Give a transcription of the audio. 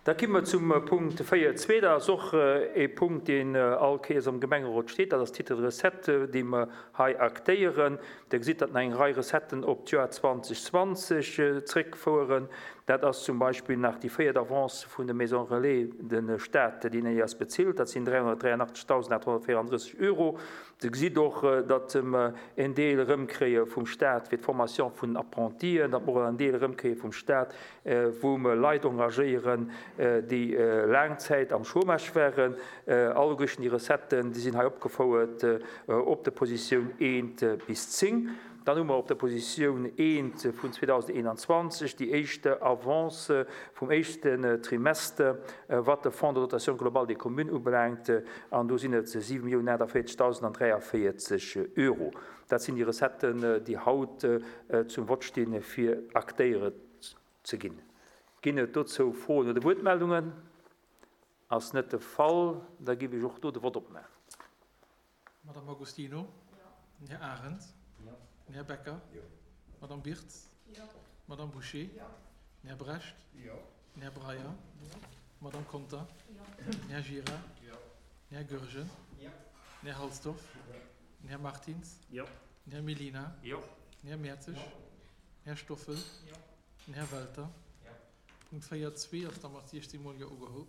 Da ki mer zum Punkt 4.2. Dat ass och e Punkt, deen all Kéiers am Gemengerot steet. Dat ass d'Titre de recettes, déi mer hei aktéieren. Der gesitt, datt nach eng Rei Recetten op d'Joer 2020 zréckfoueren. Dat ass zum Beispill nach déi véiert Avance vun de Maisons Relais, de Stat, deen eis bezilt. Dat sinn 383.834 Euro. Der gesitt och, datt mer en Deel erëmkréie vum Stat fir d'Formation vun den Apprentien, datt mer och en Deel erëmkréie vum Stat, wou mer Leit engagéieren, déi laang Zäit am Chômage waren. Alleguerten déi Recetten, déi sinn hei opgefouert op der Positioun eent bis 10. Dann hu mer op der Positioun eent vun 2021 déi éischt Avance vum éischten Trimester, wat de Fonds de dotation globale des communes ubelaangt, an do sinn et 7.048.043 Euro. Dat sinn déi Recetten, déi haut zum Vott stinn, fir aktéiert ze ginn. Ginn et dozou Froen oder Wuertmeldungen? Ass net de Fall. Da géif ech och do de Vott opmaachen. Madame Agostino? Jo. Den Här Arendt? Jo. Den Här Becker? Jo. Madame Birtz? Jo. Madame Bouché? Jo. Den Här Brecht? Jo. Den Här Breyer? Jo. Madame Conter? Jo. Den Här Gira? Jo. Den Här Goergen? Jo. Den Här Halsdorf? Jo. Den Här Martins? Jo. Den Här Mellina? Jo. Den Här Mertzig? Jo. Den Här Stoffel? Jo. Den Här Welter? Jo. Punkt 4, 2 ass da mat 16 mol Jo ugeholl.